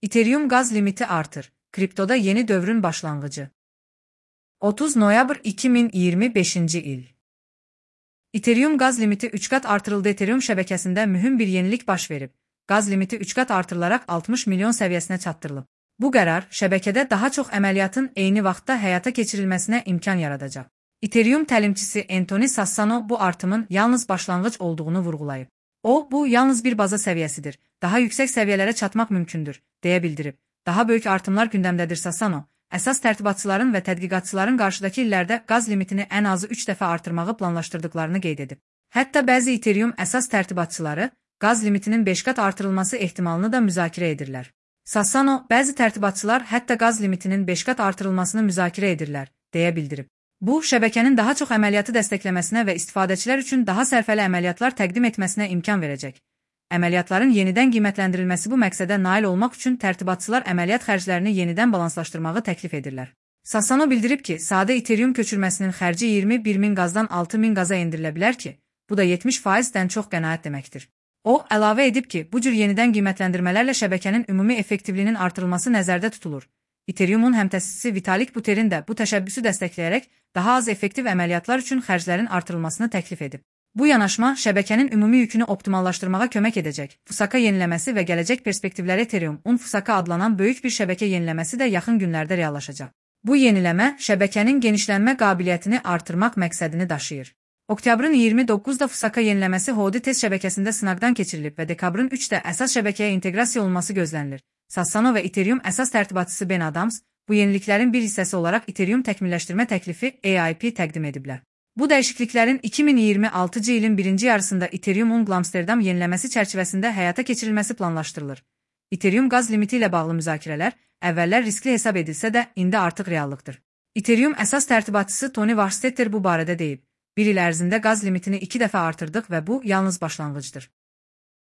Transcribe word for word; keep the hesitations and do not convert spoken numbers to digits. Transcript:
Ethereum gaz limiti artır. Kriptoda yeni dövrün başlangıcı. otuz noyabr iki min iyirmi beşinci il. Ethereum gaz limiti üç kat artırıldı. Ethereum şebekəsində mühüm bir yenilik baş verib. Gaz limiti üç kat artırılaraq altmış milyon səviyyəsinə çatdırılıb. Bu qərar şəbəkədə daha çox əməliyyatın eyni vaxtda həyata keçirilməsinə imkan yaradacaq. Ethereum təlimçisi Anthony Sassano bu artımın yalnız başlanğıc olduğunu vurğulayıb. O, bu yalnız bir baza səviyyəsidir. Daha yüksək səviyyələrə çatmaq mümkündür, deyə bildirib. Daha böyük artımlar gündəmdədir. Sassano, əsas tərtibatçıların və tədqiqatçıların qarşıdakı illərdə qaz limitini ən azı üç dəfə artırmağı planlaşdırdıqlarını qeyd edib. Hətta bəzi Ethereum əsas tərtibatçıları qaz limitinin beş qat artırılması ehtimalını da müzakirə edirlər. Sassano, bəzi tərtibatçılar hətta qaz limitinin beş qat artırılmasını müzakirə edirlər, deyə bildirib. Bu, şəbəkənin daha çox əməliyyatı dəstəkləməsinə və istifadəçilər üçün daha sərfəli əməliyyatlar təqdim etməsinə imkan verəcək. Əməliyyatların yenidən qiymətləndirilməsi bu məqsədə nail olmaq üçün tərtibatçılar əməliyyat xərclərini yenidən balanslaşdırmağı təklif edirlər. Sassano bildirib ki, sadə Ethereum köçürməsinin xərci iyirmi bir min qazdan altı min qaza endirilə bilər ki, bu da yetmiş faizdən çox qənaət deməkdir. O, əlavə edib ki, bu cür yenidən qiymətləndirmələrlə şəbəkənin ümumi effektivliyinin artırılması nəzərdə tutulur. Ethereum'un həmtəsisi Vitalik Buterin də bu təşəbbüsü dəstəkləyərək daha az effektiv əməliyyatlar üçün xərclərin artırılmasını təklif edib. Bu yanaşma şəbəkənin ümumi yükünü optimallaşdırmağa kömək edəcək. Fusaka yeniləməsi və gələcək perspektivləri Ethereum-un Fusaka adlanan böyük bir şəbəkə yeniləməsi də yaxın günlərdə reallaşacaq. Bu yeniləmə şəbəkənin genişlənmə qabiliyyətini artırmaq məqsədini daşıyır. Oktyabrın iyirmi doqquzunda Fusaka yeniləməsi Hodi test şəbəkəsində sınaqdan keçirilib və dekabrın üçdə əsas şəbəkəyə inteqrasiya olunması gözlənilir. Sassano və Ethereum əsas tərtibatçısı Ben Adams bu yeniliklərin bir hissəsi olaraq Ethereum təkmilləşdirmə təklifi A I P təqdim ediblər. Bu dəyişikliklərin iki min iyirmi altıncı ilin birinci yarısında Ethereum-un Amsterdam yeniləməsi çərçivəsində həyata keçirilməsi planlaşdırılır. Ethereum qaz limiti ilə bağlı müzakirələr əvvəllər riskli hesab edilsə də indi artıq reallıqdır. Ethereum əsas tərtibatçısı Tony Varstetter bu barədə deyib. Bir il ərzində qaz limitini iki dəfə artırdıq və bu yalnız başlanğıcdır.